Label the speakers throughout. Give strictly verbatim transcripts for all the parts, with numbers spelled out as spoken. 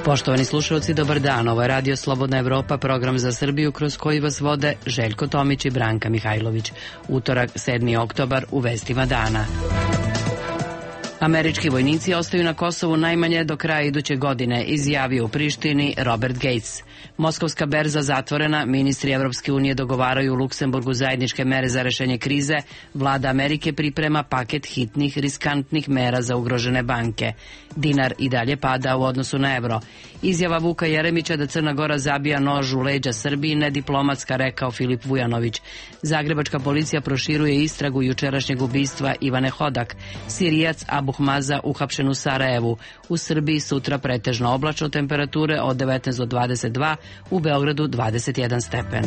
Speaker 1: Poštovani slušalci, dobar dan. Ovo je Radio Slobodna Evropa, program za Srbiju kroz koji vas vode Željko Tomić i Branka Mihajlović. Utorak, sedmi oktobar, u vestima dana. Američki vojnici ostaju na Kosovu najmanje do kraja iduće godine, izjavio u Prištini Robert Gates. Moskovska berza zatvorena, ministri Evropske unije dogovaraju u Luksemburgu zajedničke mere za rešenje krize, vlada Amerike priprema paket hitnih, riskantnih mera za ugrožene banke. Dinar i dalje pada u odnosu na evro. Izjava Vuka Jeremića da Crna Gora zabija nož u leđa Srbiji nediplomatska, rekao Filip Vujanović. Zagrebačka policija proširuje istragu jučerašnjeg ubistva Ivane Hodak. Sirijac Abu Hmaza uhapšen u Sarajevu. U Srbiji sutra pretežno oblačno, temperature od devetnaest do dvadeset dva, u Beogradu dvadeset jedan stepen.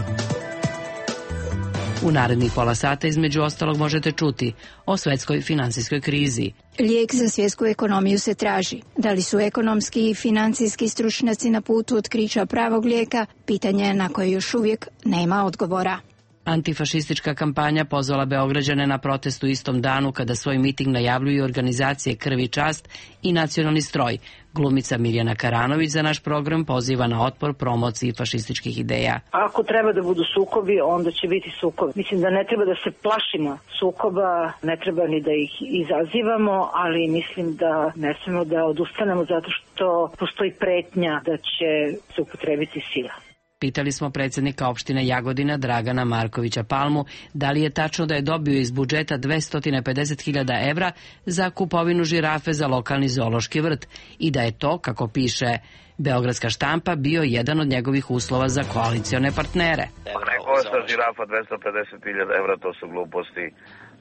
Speaker 1: U narednih pola sata između ostalog možete čuti o svetskoj finansijskoj krizi.
Speaker 2: Lijek za svjetsku ekonomiju se traži. Da li su ekonomski i financijski stručnjaci na putu otkrića pravog lijeka? Pitanje je na koje još uvijek nema odgovora.
Speaker 1: Antifašistička kampanja pozvala Beograđane na protest u istom danu kada svoj miting najavljuju organizacije Krv i čast i Nacionalni stroj. Glumica Mirjana Karanović za naš program poziva na otpor promociji fašističkih ideja.
Speaker 3: Ako treba da budu sukobi, onda će biti sukobi. Mislim da ne treba da se plašimo sukoba, ne treba ni da ih izazivamo, ali mislim da ne smemo da odustanemo zato što postoji pretnja da će se upotrebiti sila.
Speaker 1: Pitali smo predsjednika opštine Jagodina Dragana Markovića Palmu da li je tačno da je dobio iz budžeta dvesta pedeset hiljada evra za kupovinu žirafe za lokalni zoološki vrt i da je to, kako piše Beogradska štampa, bio jedan od njegovih uslova za koalicione partnere.
Speaker 4: Ne košta žirafa dvesta pedeset hiljada evra, to su gluposti.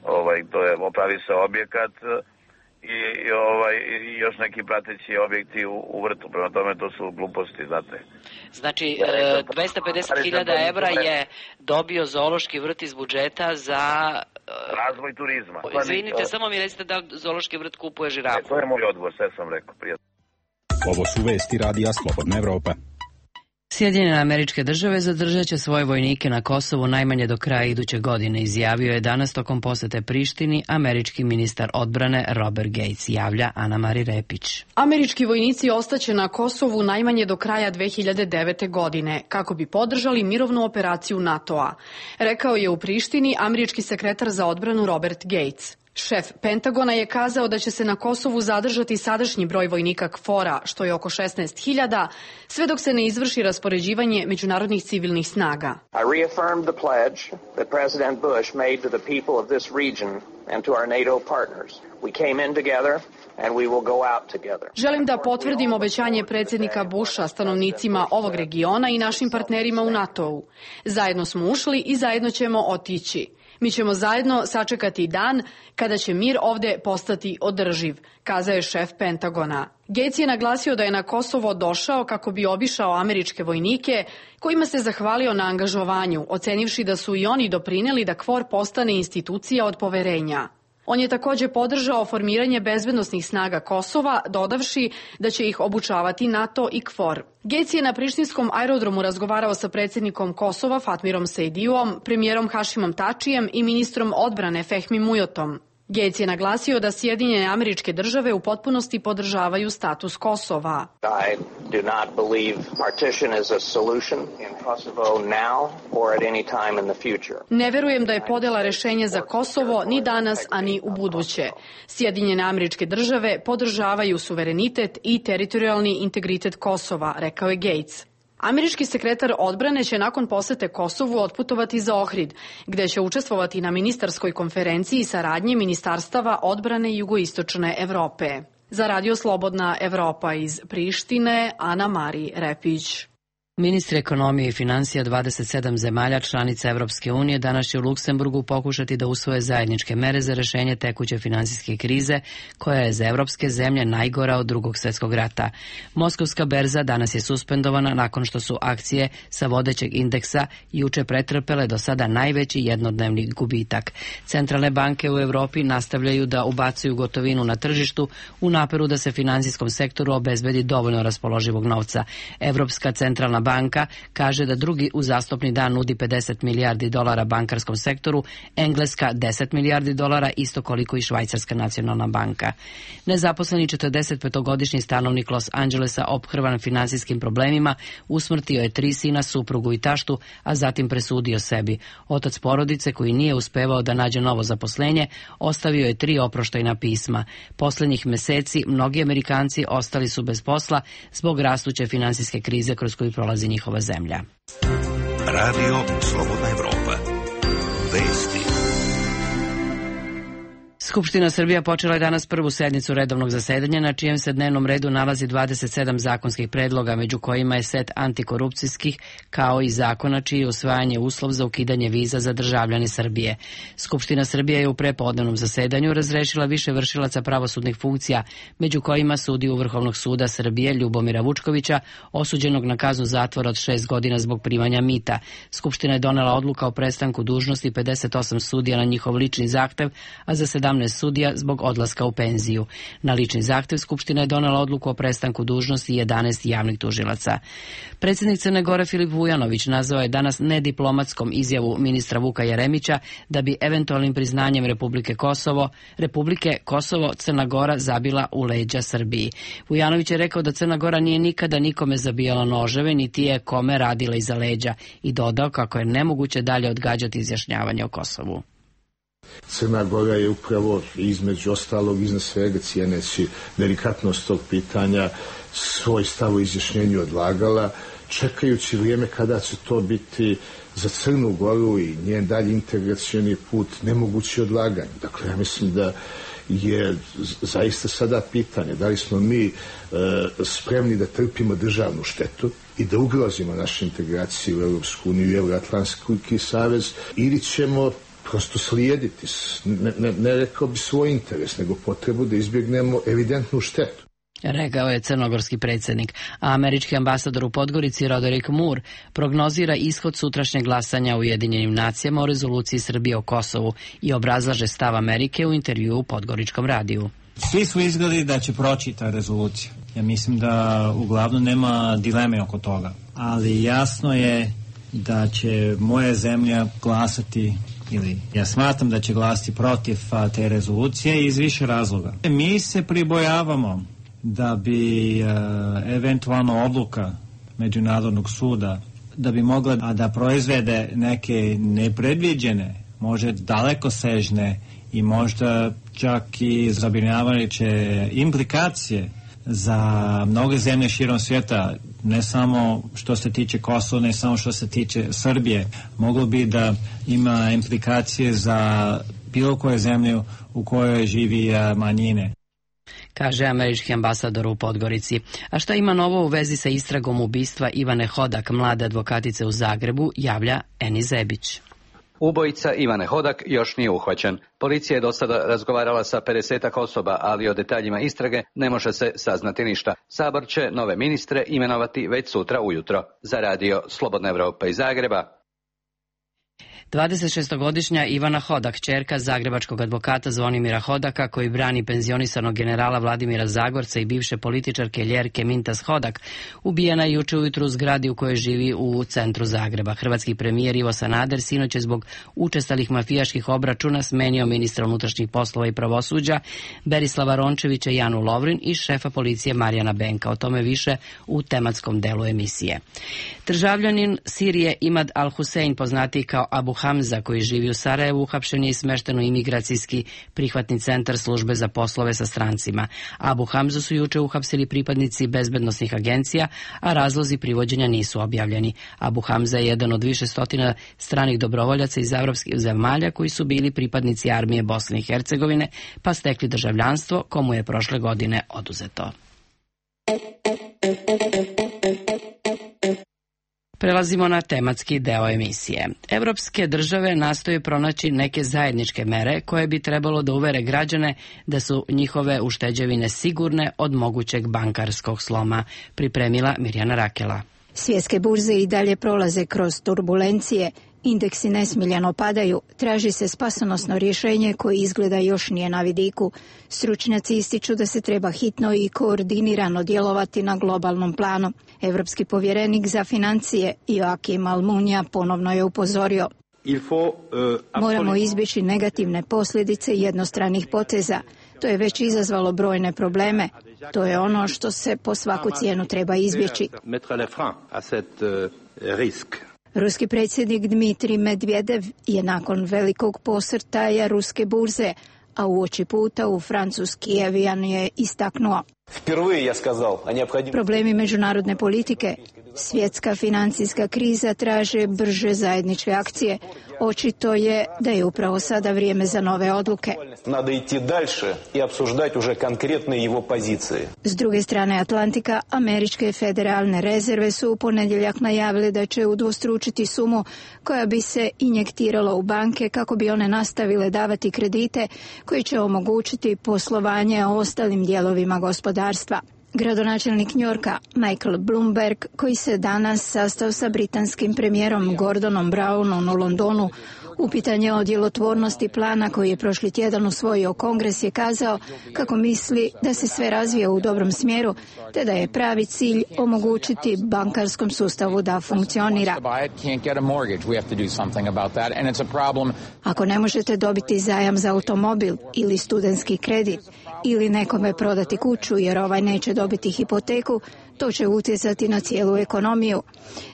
Speaker 4: Ovaj, to je, opravi se objekat i, i, ovaj, i još neki prateći objekti u, u vrtu. Prema tome to su gluposti, znate.
Speaker 1: Znači, dvesta pedeset hiljada evra je dobio zoološki vrt iz budžeta za
Speaker 4: razvoj turizma.
Speaker 1: Izvinite, samo mi recite da zoološki vrt kupuje žirafu.
Speaker 4: Ne, to je moj odgovor, sve sam rekao. Prijatno.
Speaker 5: Ovo su vesti Radija Slobodna Evropa.
Speaker 1: Sjedinjene Američke Države zadržat će svoje vojnike na Kosovu najmanje do kraja iduće godine, izjavio je danas tokom posete Prištini američki ministar odbrane Robert Gates, javlja Ana-Mari Repić.
Speaker 6: Američki vojnici ostaće na Kosovu najmanje do kraja dve hiljade devete. godine, kako bi podržali mirovnu operaciju NATO-a, rekao je u Prištini američki sekretar za odbranu Robert Gates. Šef Pentagona je kazao da će se na Kosovu zadržati sadašnji broj vojnika KFOR-a, što je oko šesnaest hiljada, sve dok se ne izvrši raspoređivanje međunarodnih civilnih snaga.
Speaker 7: I reaffirmed the pledge that President Bush made to the people of this region and to our NATO partners. We came in together and we will go out together.
Speaker 6: Želim da potvrdim obećanje predsjednika Busha stanovnicima ovog regiona i našim partnerima u NATO-u. Zajedno smo ušli i zajedno ćemo otići. Mi ćemo zajedno sačekati dan kada će mir ovde postati održiv, kazao je šef Pentagona. Gates je naglasio da je na Kosovo došao kako bi obišao američke vojnike, kojima se zahvalio na angažovanju, ocenivši da su i oni doprineli da KFOR postane institucija od poverenja. On je također podržao formiranje bezbednosnih snaga Kosova, dodavši da će ih obučavati NATO i KFOR. Gates je na prištinskom aerodromu razgovarao sa predsjednikom Kosova Fatmirom Sejdijom, premijerom Hašimom Tačijem i ministrom odbrane Fehmi Mujotom. Gates je naglasio da Sjedinjene Američke Države u potpunosti podržavaju status Kosova.
Speaker 7: I do not believe partition is a solution in Kosovo now or at any time in the future.
Speaker 6: Ne verujem da je podela rešenje za Kosovo ni danas, ani u buduće. Sjedinjene Američke Države podržavaju suverenitet i teritorijalni integritet Kosova, rekao je Gates. Američki sekretar odbrane će nakon posete Kosovu otputovati za Ohrid, gde će učestvovati na ministarskoj konferenciji saradnje ministarstava odbrane jugoistočne Evrope. Za Radio Slobodna Evropa iz Prištine, Ana-Mari Repić.
Speaker 1: Ministri ekonomije i finansija dvadeset sedam zemalja članica Evropske unije danas će u Luksemburgu pokušati da usvoje zajedničke mere za rešenje tekuće finansijske krize, koja je za evropske zemlje najgora od drugog svjetskog rata. Moskovska berza danas je suspendovana nakon što su akcije sa vodećeg indeksa juče pretrpele do sada najveći jednodnevni gubitak. Centralne banke u Evropi nastavljaju da ubacuju gotovinu na tržištu u naperu da se finansijskom sektoru obezbedi dovoljno raspoloživog novca. Evropska centralna banka kaže da drugi uzastopni dan nudi pedeset milijardi dolara bankarskom sektoru, Engleska deset milijardi dolara, isto koliko i Švajcarska nacionalna banka. Nezaposleni četrdesetpetogodišnji stanovnik Los Angelesa, ophrvan finansijskim problemima, usmrtio je tri sina, suprugu i taštu, a zatim presudio sebi. Otac porodice, koji nije uspevao da nađe novo zaposlenje, ostavio je tri oproštajna pisma. Poslednjih meseci mnogi Amerikanci ostali su bez posla zbog rastuće finansijske krize kroz koju prolazi njihova zemlja.
Speaker 8: Radio Slobodna Evropa. Vesti.
Speaker 1: Skupština Srbija počela je danas prvu sednicu redovnog zasedanja, na čijem se dnevnom redu nalazi dvadeset sedam zakonskih predloga, među kojima je set antikorupcijskih, kao i zakona čiji je usvajanje uslov za ukidanje viza za državljane Srbije. Skupština Srbije je u prepodnevnom zasedanju razrešila više vršilaca pravosudnih funkcija, među kojima sudiju Vrhovnog suda Srbije Ljubomira Vučkovića, osuđenog na kaznu zatvora od šest godina zbog primanja mita. Skupština je donela odluka o prestanku dužnosti pedeset osam sudija na njihov lični zahtev, a za sedamnaest sudija zbog odlaska u penziju. Na lični zahtev Skupština je donela odluku o prestanku dužnosti jedanaest javnih tužilaca. Predsjednik Crne Gore Filip Vujanović nazvao je danas nediplomatskom izjavu ministra Vuka Jeremića da bi eventualnim priznanjem Republike Kosovo, Republike Kosovo Crna Gora zabila u leđa Srbiji. Vujanović je rekao da Crna Gora nije nikada nikome zabijala noževe, niti je kome radila iza leđa, i dodao kako je nemoguće dalje odgađati izjašnjavanje o Kosovu.
Speaker 9: Crna Gora je upravo, između ostalog, iznad svega cijeneći delikatnost tog pitanja, svoj stav o izjašnjenju odlagala, čekajući vrijeme kada će to biti za Crnu Goru i njen dalji integracioni put nemogući odlaganje. Dakle, ja mislim da je zaista sada pitanje da li smo mi e, spremni da trpimo državnu štetu i da ugrozimo našu integraciju u Europsku uniju i Euroatlantski savez, ili ćemo prosto slijediti, ne, ne, ne rekao bi svoj interes, nego potrebu da izbjegnemo evidentnu štetu.
Speaker 1: Rekao je crnogorski predsjednik, a američki ambasador u Podgorici Roderick Moore prognozira ishod sutrašnjeg glasanja u Ujedinjenim nacijama o rezoluciji Srbije o Kosovu i obrazlaže stav Amerike u intervjuu u Podgoričkom radiju.
Speaker 10: Svi su izgledali da će proći ta rezolucija. Ja mislim da uglavnom nema dileme oko toga, ali jasno je da će moja zemlja glasati, ili ja smatram da će glasati protiv a, te rezolucije iz više razloga. Mi se pribojavamo da bi a, eventualno odluka Međunarodnog suda da bi mogla a, da proizvede neke nepredviđene, možda dalekosežne i možda čak i zabrinjavajuće implikacije za mnoge zemlje širom svijeta, ne samo što se tiče Kosova, ne samo što se tiče Srbije. Moglo bi da ima implikacije za bilo koje zemlje u kojoj živi manjine,
Speaker 1: kaže američki ambasador u Podgorici. A šta ima novo u vezi sa istragom ubistva Ivane Hodak, mlade advokatice u Zagrebu, javlja Eni Zebić.
Speaker 11: Ubojica Ivane Hodak još nije uhvaćen. Policija je do sada razgovarala sa pedesetak osoba, ali o detaljima istrage ne može se saznati ništa. Sabor će nove ministre imenovati već sutra ujutro. Za radio Slobodna Evropa iz Zagreba.
Speaker 1: dvadesetšestogodišnja Ivana Hodak, ćerka zagrebačkog advokata Zvonimira Hodaka, koji brani penzionisanog generala Vladimira Zagorca i bivše političarke Ljerke Mintas Hodak, ubijena je juče ujutru u zgradi u kojoj živi u centru Zagreba. Hrvatski premijer Ivo Sanader sinoć je zbog učestalih mafijaških obračuna smenio ministra unutrašnjih poslova i pravosuđa Berislava Rončevića i Janu Lovrin i šefa policije Marijana Benka. O tome više u tematskom delu emisije. Državljanin Sirije Imad Al-Husein, poznatiji kao Abu Hamza, koji živi u Sarajevu, uhapšen je i smešten u imigracijski prihvatni centar službe za poslove sa strancima. Abu Hamzu su juče uhapsili pripadnici bezbednosnih agencija, a razlozi privođenja nisu objavljeni. Abu Hamza je jedan od više stotina stranih dobrovoljaca iz evropskih zemalja koji su bili pripadnici armije Bosne i Hercegovine, pa stekli državljanstvo, komu je prošle godine oduzeto. Prelazimo na tematski deo emisije. Evropske države nastoje pronaći neke zajedničke mere koje bi trebalo da uvere građane da su njihove ušteđevine sigurne od mogućeg bankarskog sloma, pripremila Mirjana Rakela.
Speaker 2: Svjetske burze i dalje prolaze kroz turbulencije Indeksi nesmiljeno padaju, traži se spasonosno rješenje koje izgleda još nije na vidiku. Stručnjaci ističu da se treba hitno i koordinirano djelovati na globalnom planu. Evropski povjerenik za financije Joakim Almunia ponovno je upozorio. Moramo izbjeći negativne posljedice jednostranih poteza. To je već izazvalo brojne probleme. To je ono što se po svaku cijenu treba izbjeći. Ruski predsjednik Dmitrij Medvedev je nakon velikog posrtaja ruske burze, a uoči puta u francuski avion je istaknuo. Problemi međunarodne politike, svjetska financijska kriza traže brže zajedničke akcije. Očito je da je upravo sada vrijeme za nove odluke. S druge strane Atlantika, američke federalne rezerve su u ponedjeljak najavile da će udvostručiti sumu koja bi se injektirala u banke kako bi one nastavile davati kredite koji će omogućiti poslovanje ostalim dijelovima gospodarstva. Gradonačelnik Njorka Michael Bloomberg, koji se danas sastao sa britanskim premijerom Gordonom Brownom u Londonu, upitan je o djelotvornosti plana koji je prošli tjedan usvojio Kongres, je kazao kako misli da se sve razvija u dobrom smjeru, te da je pravi cilj omogućiti bankarskom sustavu da funkcionira. Ako ne možete dobiti zajam za automobil ili studentski kredit ili nekome prodati kuću jer ovaj neće dobiti hipoteku, to će utjecati na cijelu ekonomiju.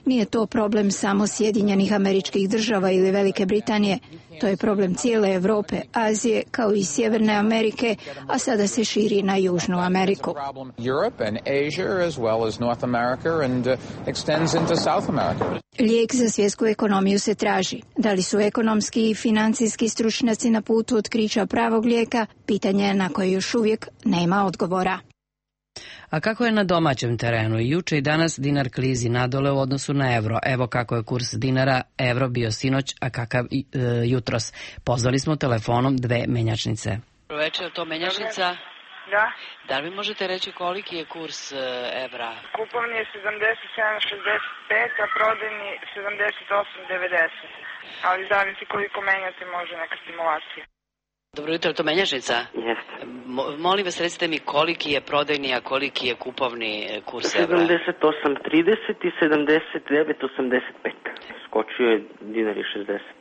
Speaker 2: Nije to problem samo Sjedinjenih Američkih Država ili Velike Britanije. To je problem cijele Europe, Azije kao i Sjeverne Amerike, a sada se širi na Južnu Ameriku. Lijek za svjetsku ekonomiju se traži. Da li su ekonomski i financijski stručnjaci na putu otkrića pravog lijeka? Pitanje je na koje još uvijek nema odgovora.
Speaker 1: A kako je na domaćem terenu? Juče i danas dinar klizi nadole u odnosu na evro. Evo kako je kurs dinara evro bio sinoć, a kakav e, jutros. Pozvali smo telefonom dve menjačnice.
Speaker 12: Dobro večer, to menjačnica?
Speaker 13: Da.
Speaker 12: Da li možete reći koliki je kurs e, evra?
Speaker 13: Kupovni je sedamdeset sedam šezdeset pet, a prodajni sedamdeset osam devedeset. Ali zavisi koliko menjate, može neka stimulacija.
Speaker 12: Dobro jutro, to menjačnica?
Speaker 14: Jeste.
Speaker 12: Molim vas, recite mi koliki je prodajni, a koliki je kupovni kurs evra?
Speaker 14: sedamdeset osam trideset i sedamdeset devet osamdeset pet. Skočio je dinar i šezdeset.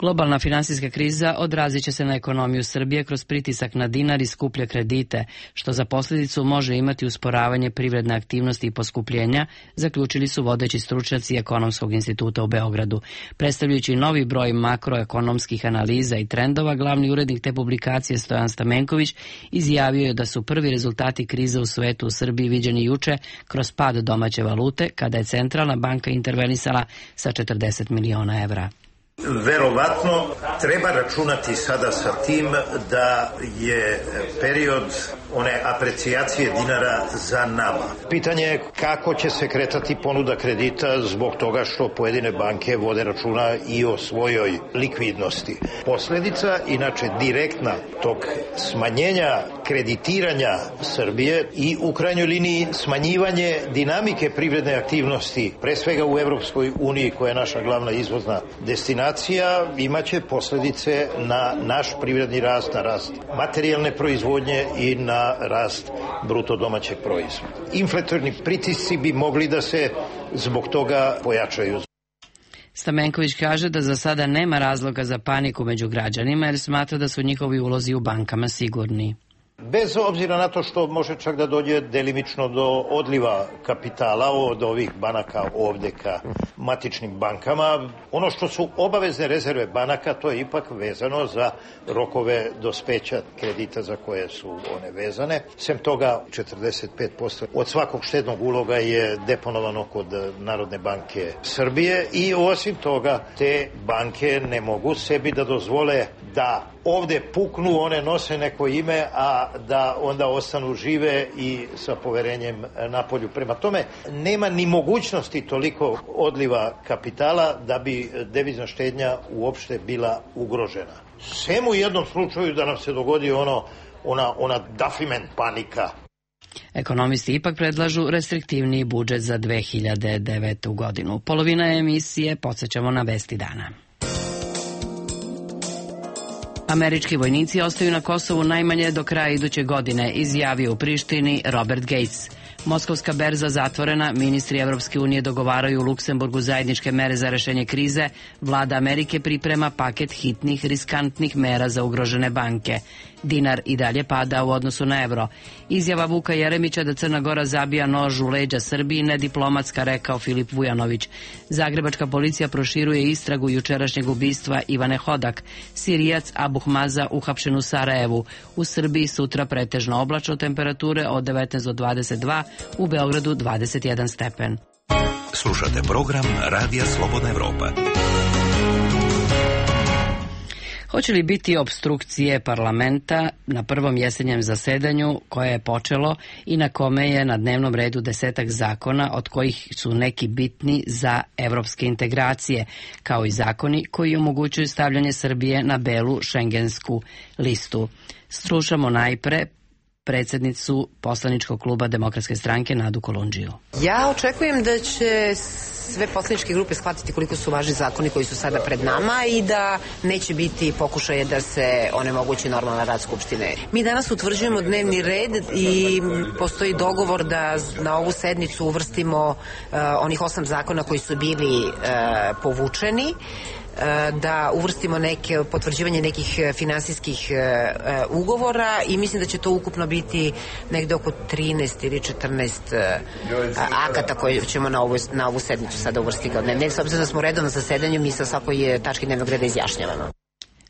Speaker 1: Globalna finansijska kriza odrazit će se na ekonomiju Srbije kroz pritisak na dinar i skuplje kredite, što za posljedicu može imati usporavanje privredne aktivnosti i poskupljenja, zaključili su vodeći stručnjaci Ekonomskog instituta u Beogradu. Predstavljajući novi broj makroekonomskih analiza i trendova, glavni urednik te publikacije Stojan Stamenković izjavio je da su prvi rezultati krize u svetu u Srbiji viđeni juče kroz pad domaće valute, kada je centralna banka intervenisala sa četrdeset miliona evra.
Speaker 15: Verovatno treba računati sada sa tim da je period one aprecijacije dinara za nama. Pitanje je kako će se kretati ponuda kredita zbog toga što pojedine banke vode računa i o svojoj likvidnosti. Posljedica, inače direktna tog smanjenja kreditiranja Srbije i u krajnjoj liniji smanjivanje dinamike privredne aktivnosti, pre svega u Evropskoj uniji koja je naša glavna izvozna destinacija, imaće posljedice na naš privredni rast, na rast materijalne proizvodnje i na rast bruto domaćeg proizvoda. Inflatorni pritisci bi mogli da se zbog toga pojačaju.
Speaker 1: Stamenković kaže da za sada nema razloga za paniku među građanima jer smatra da su njihovi ulozi u bankama sigurni.
Speaker 15: Bez obzira na to što može čak da dođe delimično do odliva kapitala od ovih banaka ovdje ka matičnim bankama, ono što su obavezne rezerve banaka, to je ipak vezano za rokove dospeća kredita za koje su one vezane. Sem toga, četrdeset pet posto od svakog štednog uloga je deponovano kod Narodne banke Srbije i osim toga te banke ne mogu sebi da dozvole da ovdje puknu, one nose neko ime, a da onda ostanu žive i sa poverenjem na polju. Prema tome, nema ni mogućnosti toliko odliva kapitala da bi devizna štednja uopšte bila ugrožena. Sem u jednom slučaju da nam se dogodi ono, ona, ona Duffiman panika.
Speaker 1: Ekonomisti ipak predlažu restriktivniji budžet za dve hiljade devetu. godinu. Polovina emisije podsjećamo na vesti dana. Američki vojnici ostaju na Kosovu najmanje do kraja iduće godine, izjavio u Prištini Robert Gates. Moskovska berza zatvorena, ministri Evropske unije dogovaraju u Luksemburgu zajedničke mere za rešenje krize, vlada Amerike priprema paket hitnih, riskantnih mera za ugrožene banke. Dinar i dalje pada u odnosu na evro. Izjava Vuka Jeremića da Crna Gora zabija nož u leđa Srbiji nediplomatska, rekao Filip Vujanović. Zagrebačka policija proširuje istragu jučerašnjeg ubistva Ivane Hodak. Sirijac Abu Hmaza uhapšen u Sarajevu. U Srbiji sutra pretežno oblačno, temperature od devetnaest do dvadeset dva, u Beogradu dvadeset jedan stepen.
Speaker 8: Slušate program Radija Slobodna Evropa.
Speaker 1: Hoće li biti opstrukcije parlamenta na prvom jesenjem zasedanju koje je počelo i na kome je na dnevnom redu desetak zakona, od kojih su neki bitni za evropske integracije, kao i zakoni koji omogućuju stavljanje Srbije na belu šengensku listu. Slušamo najpre predsjednicu poslaničkog kluba Demokratske stranke Nadu Kolundžiju.
Speaker 16: Ja očekujem da će sve poslaničke grupe shvatiti koliko su važni zakoni koji su sada pred nama i da neće biti pokušaje da se onemogući normalna rad Skupštine. Mi danas utvrđujemo dnevni red i postoji dogovor da na ovu sednicu uvrstimo uh, onih osam zakona koji su bili uh, povučeni, da uvrstimo neke potvrđivanje nekih finansijskih uh, ugovora i mislim da će to ukupno biti negde oko trinaest ili četrnaest uh, akata koje ćemo na ovu, na ovu sednicu sada uvrstiti kao dnevni red. S obzirom da smo redovno zasedanju, mi sa svakoj tački dnevnog reda izjašnjavamo.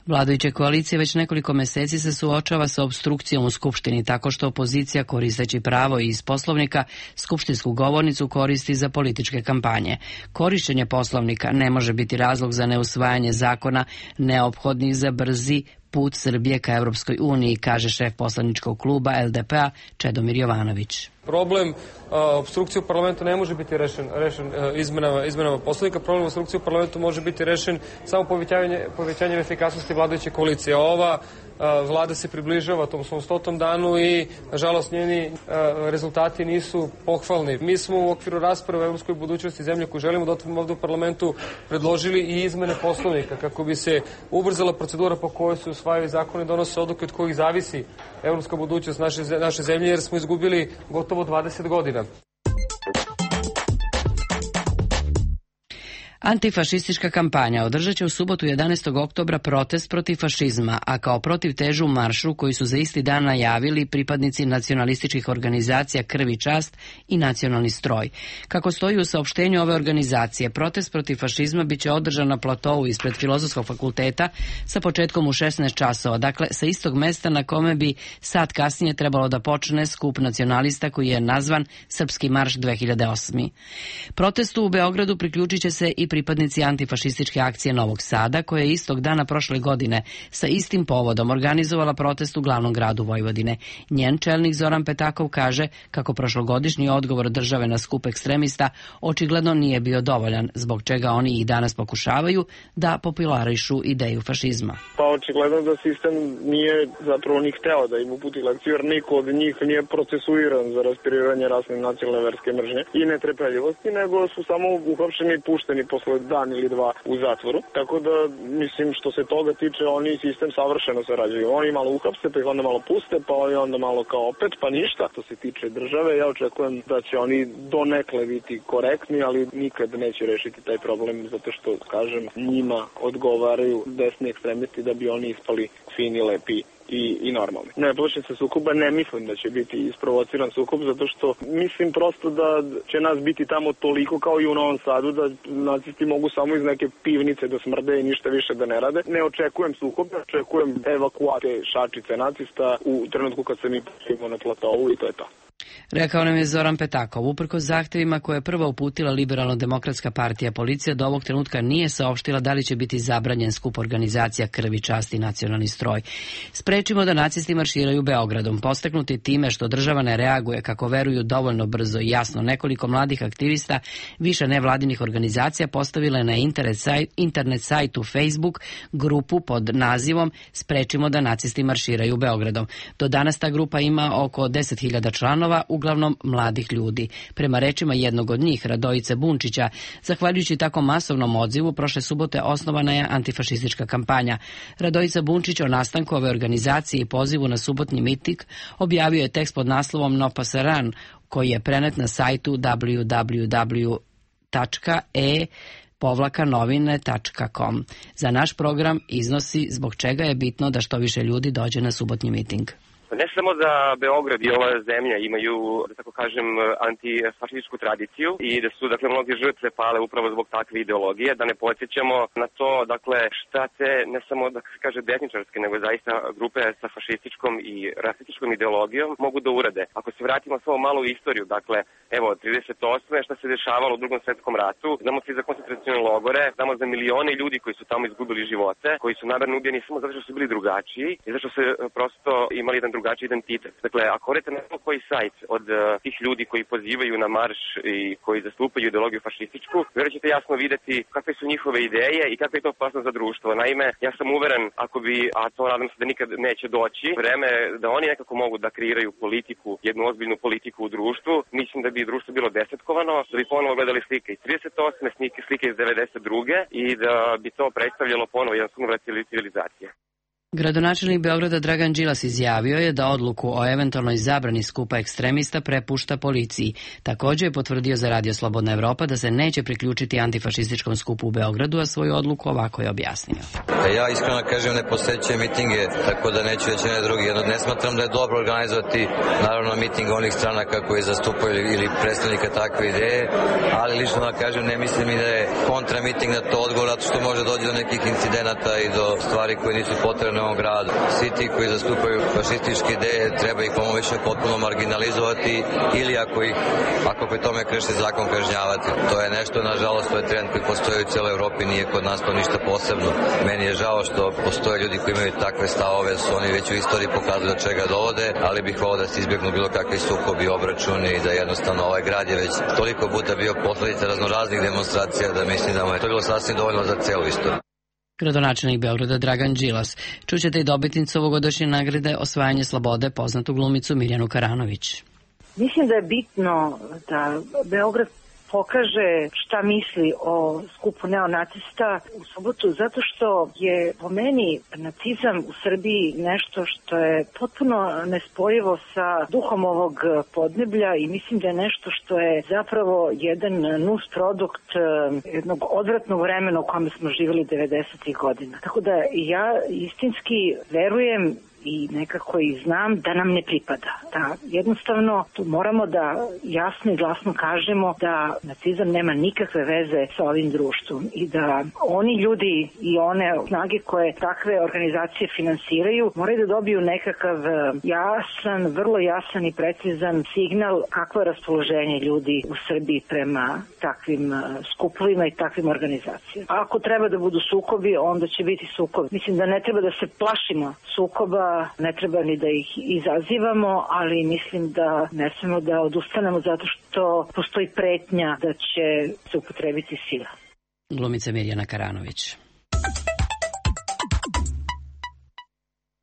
Speaker 1: Vladajuća koalicija već nekoliko meseci se suočava sa opstrukcijom u Skupštini tako što opozicija, koristeći pravo iz Poslovnika, skupštinsku govornicu koristi za političke kampanje. Korišćenje Poslovnika ne može biti razlog za neusvajanje zakona neophodnih za brzi put Srbije ka Evropskoj uniji, kaže šef poslaničkog kluba L D P-a Čedomir Jovanović.
Speaker 17: Problem opstrukcije u parlamentu ne može biti rešen, rešen izmenama, izmenama poslovnika. Problem opstrukcije u parlamentu može biti rešen samo povećanje, povećanjem efikasnosti vladajuće koalicije. Ova vlada se približava tom svom stotom danu i, nažalost, njeni rezultati nisu pohvalni. Mi smo u okviru rasprave o evropskoj budućnosti zemlje koju želimo da otvorimo ovdje u parlamentu predložili i izmene poslovnika kako bi se ubrzala procedura po kojoj se usvajaju zakone i donose odluke od kojih zavisi evropska budućnost naše, naše zemlje, jer smo izgubili gotovo dvadeset godina.
Speaker 1: Antifašistička kampanja održat će u subotu jedanaestog oktobra protest protiv fašizma, a kao protiv težu maršu koji su za isti dan najavili pripadnici nacionalističkih organizacija Krv i čast i Nacionalni stroj. Kako stoji u saopštenju ove organizacije, protest protiv fašizma biće održan na platovu ispred Filozofskog fakulteta sa početkom u šesnaest časova, dakle sa istog mesta na kome bi sat kasnije trebalo da počne skup nacionalista koji je nazvan Srpski marš dve hiljade osme. Protestu u Beogradu priključit će se i pripadnici antifašističke akcije Novog Sada, koja je istog dana prošle godine sa istim povodom organizovala protest u glavnom gradu Vojvodine. Njen čelnik Zoran Petakov kaže kako prošlogodišnji odgovor države na skup ekstremista očigledno nije bio dovoljan, zbog čega oni i danas pokušavaju da popularišu ideju fašizma.
Speaker 18: Pa očigledno da sistem nije zapravo ni hteo da im uputi lekciju, jer niko od njih nije procesuiran za raspirivanje rasne, nacionalne, verske mržnje i netrpeljivosti, nego su samo uhapšeni i pušteni posle dan ili dva u zatvoru. Tako da, mislim, što se toga tiče, oni sistem savršeno sarađuju. Oni malo uhapse, pa ih onda malo puste, pa oni onda malo kao opet, pa ništa. Što se tiče države, ja očekujem da će oni donekle biti korektni, ali nikad neće rešiti taj problem, zato što, kažem, njima odgovaraju desni ekstremisti da bi oni ispali fini, lepi i, i normalni. Ne plašim se sukoba, ne mislim da će biti isprovociran sukob, zato što mislim prosto da će nas biti tamo toliko kao i u Novom Sadu, da nacisti mogu samo iz neke pivnice da smrde i ništa više da ne rade. Ne očekujem sukob, očekujem evakuacije šačice nacista u trenutku kad se mi počimo na platovu i to je to.
Speaker 1: Rekao nam je Zoran Petakov. Uprkos zahtevima koje je prva uputila Liberalno-demokratska partija, policija do ovog trenutka nije saopštila da li će biti zabranjen skup organizacija Krv i čast i Nacionalni stroj. Sprečimo da nacisti marširaju Beogradom. Postaknuti time što država ne reaguje, kako veruju, dovoljno brzo i jasno, nekoliko mladih aktivista više nevladinih organizacija postavile na internet, sajt, internet sajtu Facebook grupu pod nazivom Sprečimo da nacisti marširaju Beogradom. Do danas ta grupa ima oko deset hiljada članova, uglavnom mladih ljudi. Prema rečima jednog od njih, Radojice Bunčića, zahvaljujući tako masovnom odzivu, prošle subote osnovana je antifašistička kampanja. Radojica Bunčić o nastanku ove organizacije i pozivu na subotnji miting objavio je tekst pod naslovom No Pasaran, koji je prenet na sajtu w w w tačka e povlaka novine tačka com. Za naš program iznosi zbog čega je bitno da što više ljudi dođe na subotnji miting.
Speaker 19: Ne samo da Beograd i ova zemlja imaju, da tako kažem, antifašističku tradiciju i da su, dakle, mnoge žrtve pale upravo zbog takve ideologije, da ne podsjećamo na to, dakle, šta te, ne samo, da se kaže, desničarske, nego zaista grupe sa fašističkom i rasističkom ideologijom mogu da urade. Ako se vratimo samo malo u istoriju, dakle, evo, trideset osme šta se dešavalo u Drugom svetskom ratu, znamo svi za koncentracione logore, znamo za milione ljudi koji su tamo izgubili živote, koji su namerno ubijeni samo zato što su bili drugačiji i zato što su prosto imali jedan drugačiji identitet. Dakle, ako odete na bilo koji sajt od uh, tih ljudi koji pozivaju na marš i koji zastupaju ideologiju fašističku, vjerojatno ćete jasno vidjeti kakve su njihove ideje i kakva je to opasnost za društvo. Naime, ja sam uveren, ako bi, a to nadam se da nikad neće doći, vreme da oni nekako mogu da kreiraju politiku, jednu ozbiljnu politiku u društvu, mislim da bi društvo bilo desetkovano, da bi ponovo gledali slike iz trideset osme, slike iz devedeset druge i da bi to predstavljalo ponovo jedan sunovrat civilizacije.
Speaker 1: Gradonačelnik Beograda Dragan Đilas izjavio je da odluku o eventualnoj zabrani skupa ekstremista prepušta policiji. Također je potvrdio za Radio Slobodna Evropa da se neće priključiti antifašističkom skupu u Beogradu, a svoju odluku ovako je objasnio.
Speaker 20: Ja iskreno kažem ne posećujem mitinge, tako da neću reći ne drugi. Jedno, ne smatram da je dobro organizovati naravno miting onih stranaka koji zastupaju ili predstavnika takve ideje, ali lično da kažem ne mislim i da je kontra miting na to odgovor, zato što može doći do nekih incidenata i do stvari koje nisu potrebne u ovom gradu. Svi ti koji zastupaju fašističke ideje treba ih pomoći potpuno marginalizovati ili ako ih, ako pri tome krše zakon, kažnjavati. To je nešto, nažalost, to je trend koji postoji u cijeloj Evropi, nije kod nas to ništa posebno. Meni je žao što postoje ljudi koji imaju takve stavove, su oni već u istoriji pokazuju do čega dovode, ali bih volio da se izbjegnu bilo kakvi sukobi, obračuni i da jednostavno ovaj grad je već toliko puta bio posledica raznoraznih demonstracija da mislim da mu je to bilo sasvim dovoljno za celu istoriju.
Speaker 1: Gradonačelnik Beograda Dragan Đilas. Čućete i dobitnicu ovogodišnje nagrade Osvajanje slobode, poznatu glumicu Mirjanu Karanović.
Speaker 3: Mislim da je bitno da Beograd pokaže šta misli o skupu neonacista u subotu, zato što je po meni nacizam u Srbiji nešto što je potpuno nespojivo sa duhom ovog podneblja i mislim da je nešto što je zapravo jedan nus produkt jednog odvratnog vremena u kome smo živjeli devedesetih godina. Tako da ja istinski verujem i nekako i znam da nam ne pripada. Da jednostavno tu moramo da jasno i glasno kažemo da nacizam nema nikakve veze sa ovim društvom i da oni ljudi i one snage koje takve organizacije finansiraju moraju da dobiju nekakav jasan, vrlo jasan i precizan signal kakvo je raspoloženje ljudi u Srbiji prema takvim skupovima i takvim organizacijama. A ako treba da budu sukobi, onda će biti sukobi. Mislim da ne treba da se plašimo sukoba, ne treba ni da ih izazivamo, ali mislim da ne smemo da odustanemo zato što postoji pretnja da će se upotrebiti sila.
Speaker 1: Glumica Mirjana Karanović.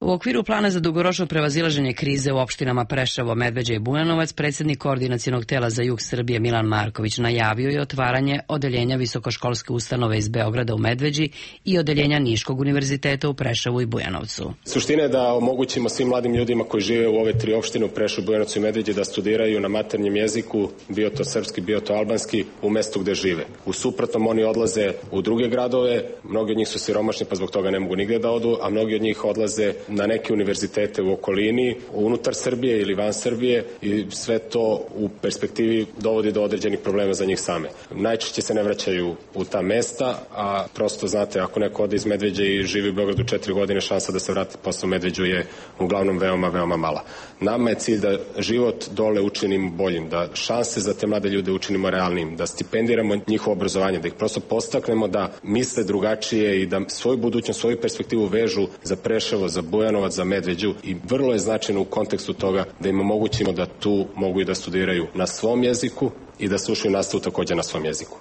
Speaker 1: U okviru plana za dugoročno prevazilaženje krize u opštinama Preševo, Medveđa i Bujanovac, predsjednik koordinacionog tela za jug Srbije Milan Marković najavio je otvaranje odeljenja visokoškolske ustanove iz Beograda u Medveđi i odeljenja Niškog univerziteta u Preševu i Bujanovcu.
Speaker 21: Suština je da omogućimo svim mladim ljudima koji žive u ove tri opštine u Preševu, Bujanovcu i Medveđi da studiraju na maternjem jeziku, bio to srpski, bio to albanski, u mestu gde žive. U suprotnom oni odlaze u druge gradove, mnogi od njih su siromašni pa zbog toga ne mogu nigde da odu, a mnogi od njih odlaze na neke univerzitete u okolini, unutar Srbije ili van Srbije i sve to u perspektivi dovodi do određenih problema za njih same. Najčešće se ne vraćaju u ta mesta, a prosto znate, ako neko ode iz Medveđa i živi u Beogradu četiri godine, šansa da se vrati posle u Medveđu je uglavnom veoma, veoma mala. Nama je cilj da život dole učinimo boljim, da šanse za te mlade ljude učinimo realnim, da stipendiramo njihovo obrazovanje, da ih prosto podstaknemo da misle drugačije i da svoju budućnost, svoju perspektivu vežu za Preševo, za Bujanovac, za Medveđu i vrlo je značajno u kontekstu toga da im omogućimo da tu mogu i da studiraju na svom jeziku i da slušaju nastavu takođe na svom jeziku.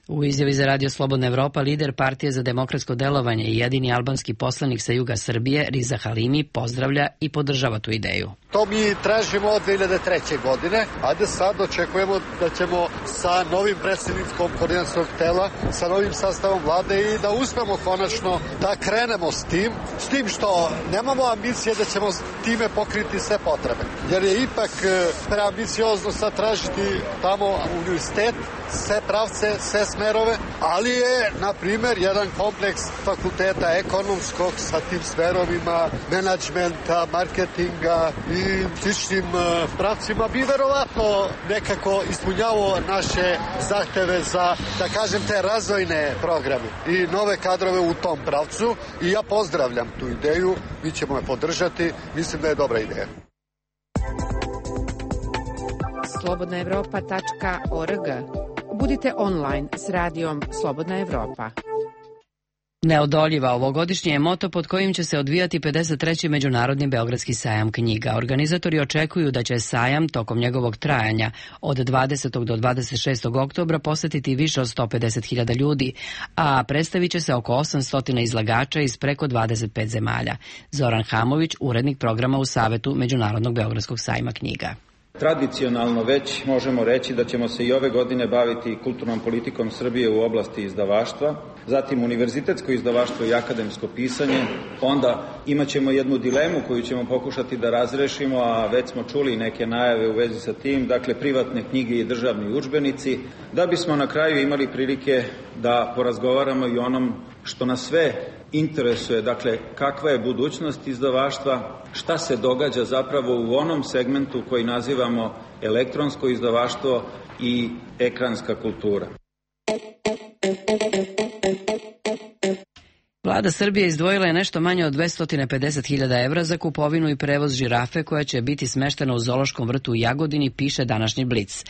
Speaker 1: U izjavi za Radio Slobodna Evropa lider Partije za demokratsko delovanje i jedini albanski poslanik sa juga Srbije, Riza Halimi, pozdravlja i podržava tu ideju.
Speaker 4: To mi tražimo od dve hiljade treće. godine, a da sad očekujemo da ćemo sa novim predsjednikom koordinacionog tela, sa novim sastavom vlade i da uspemo konačno da krenemo s tim, s tim što nemamo ambicije da ćemo time pokriti sve potrebe. Jer je ipak preambiciozno sad tražiti tamo univerzitet, sve pravce, sve smerove, ali je, na primjer, jedan kompleks fakulteta ekonomskog sa tim smerovima, menadžmenta, marketinga i sličnim pravcima bi verovatno nekako ispunjavao naše zahteve za, da kažem, te razvojne programe i nove kadrove u tom pravcu i ja pozdravljam tu ideju, mi ćemo je podržati, mislim da je dobra ideja.
Speaker 22: slobodna evropa tačka org. Budite online s radijom Slobodna Evropa.
Speaker 1: Neodoljiva ovogodišnje je moto pod kojim će se odvijati pedeset treći Međunarodni Beogradski sajam knjiga. Organizatori očekuju da će sajam tokom njegovog trajanja od dvadesetog do dvadeset šestog oktobra posetiti više od sto pedeset hiljada ljudi, a predstavit će se oko osamsto izlagača iz preko dvadeset pet zemalja. Zoran Hamović, urednik programa u Savetu Međunarodnog Beogradskog sajma knjiga.
Speaker 23: Tradicionalno već možemo reći da ćemo se i ove godine baviti kulturnom politikom Srbije u oblasti izdavaštva, zatim univerzitetsko izdavaštvo i akademsko pisanje, onda imat ćemo jednu dilemu koju ćemo pokušati da razrešimo, a već smo čuli neke najave u vezi sa tim, dakle privatne knjige i državni udžbenici, da bismo na kraju imali prilike da porazgovaramo i onom što nas sve interesuje, dakle kakva je budućnost izdavaštva, šta se događa zapravo u onom segmentu koji nazivamo elektronsko izdavaštvo i ekranska kultura.
Speaker 1: Vlada Srbije izdvojila je nešto manje od dvesta pedeset hiljada evra za kupovinu i prevoz žirafe koja će biti smeštena u zoološkom vrtu u Jagodini, piše današnji Blic.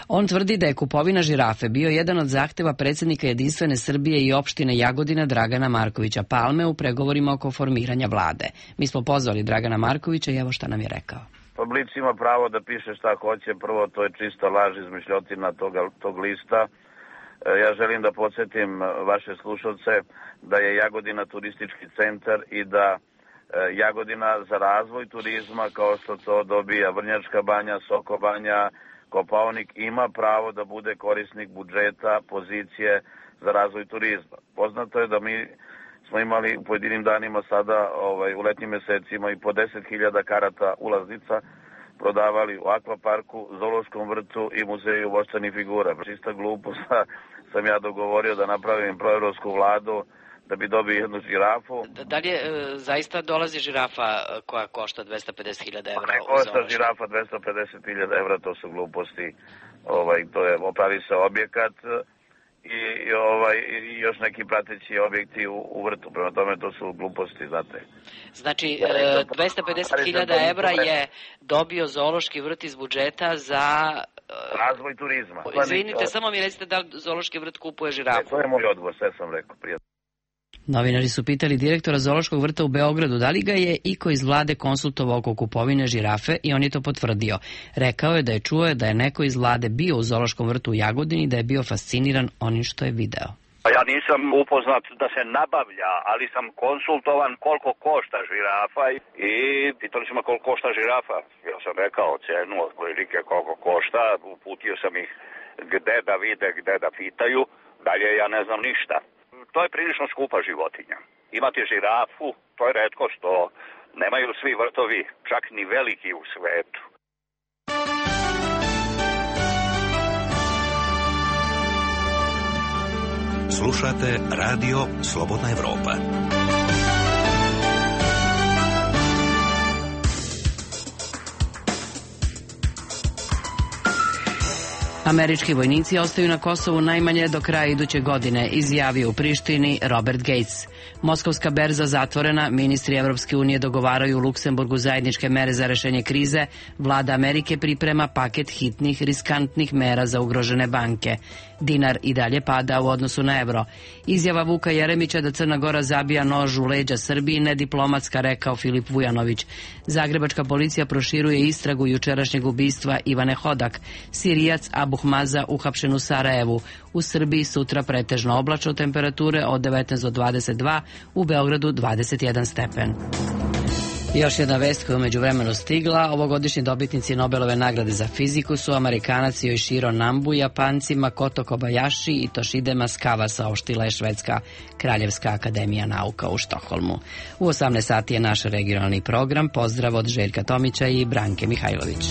Speaker 1: On tvrdi da je kupovina žirafe bio jedan od zahteva predsjednika Jedinstvene Srbije i opštine Jagodina Dragana Markovića Palme u pregovorima oko formiranja vlade. Mi smo pozvali Dragana Markovića i evo šta nam je rekao.
Speaker 24: Pa Blic ima pravo da piše šta hoće, prvo to je čista laž, izmišljotina toga, tog lista. Ja želim da podsjetim vaše slušalce da je Jagodina turistički centar i da Jagodina za razvoj turizma, kao što to dobija Vrnjačka banja, Soko banja, Kopaonik, ima pravo da bude korisnik budžeta, pozicije za razvoj turizma. Poznato je da mi smo imali u pojedinim danima sada, ovaj, u letnjim mesecima i po deset hiljada karata ulaznica prodavali u akvaparku, zoološkom vrtu i muzeju voštanih figura. Čista glupost, sam ja dogovorio da napravim proevropsku vladu da bi dobio jednu žirafu.
Speaker 12: Da, da li je, e, zaista dolazi žirafa koja košta dvesta pedeset hiljada evra?
Speaker 24: Ne košta žirafa dvesta pedeset hiljada evra, to su gluposti. Ovaj, to je, opravi se objekat i, i, ovaj, i još neki prateći objekti u, u vrtu. Prema tome to su gluposti, znate.
Speaker 12: Znači, e, dvesta pedeset hiljada evra je dobio zoološki vrt iz budžeta za
Speaker 24: razvoj turizma.
Speaker 12: Izvinite, samo mi recite da zoološki vrt kupuje žirafu.
Speaker 24: To je moj odgovor, sve sam rekao prije.
Speaker 1: Novinari su pitali direktora zoološkog vrta u Beogradu da li ga je iko iz vlade konsultovao oko kupovine žirafe i on je to potvrdio. Rekao je da je čuo da je neko iz vlade bio u zoološkom vrtu u Jagodini i da je bio fasciniran onim što je video.
Speaker 25: Ja nisam upoznat da se nabavlja, ali sam konsultovan koliko košta žirafa i pitali su me koliko košta žirafa. Ja sam rekao cenu otprilike koliko košta, uputio sam ih gde da vide, gde da pitaju, dalje ja ne znam ništa. To je prilično skupa životinja. Imati žirafu, to je retkost, to nemaju svi vrtovi, čak ni veliki u svetu.
Speaker 8: Slušate Radio Slobodna Evropa.
Speaker 1: Američki vojnici ostaju na Kosovu najmanje do kraja iduće godine, izjavio u Prištini Robert Gates. Moskovska berza zatvorena, ministri Evropske unije dogovaraju u Luksemburgu zajedničke mere za rešenje krize, vlada Amerike priprema paket hitnih, riskantnih mera za ugrožene banke. Dinar i dalje pada u odnosu na evro. Izjava Vuka Jeremića da Crna Gora zabija nož u leđa Srbiji nediplomatska, rekao Filip Vujanović. Zagrebačka policija proširuje istragu jučerašnjeg ubistva Ivane Hodak. Sirijac Abuh Maza uhapšen u Sarajevu. U Srbiji sutra pretežno oblačno, temperature od devetnaest do dvadeset dva, u Beogradu dvadeset jedan stepen. Još jedna vest koja je umeđu vremenu stigla. Ovogodišnji dobitnici Nobelove nagrade za fiziku su Amerikanac Yoshiro Nambu, Japanci Makoto Kobayashi i Toshide Masukawa, saopštila je Švedska Kraljevska akademija nauka u Štokholmu. U osamnaest sati je naš regionalni program. Pozdrav od Željka Tomića i Branke Mihajlović.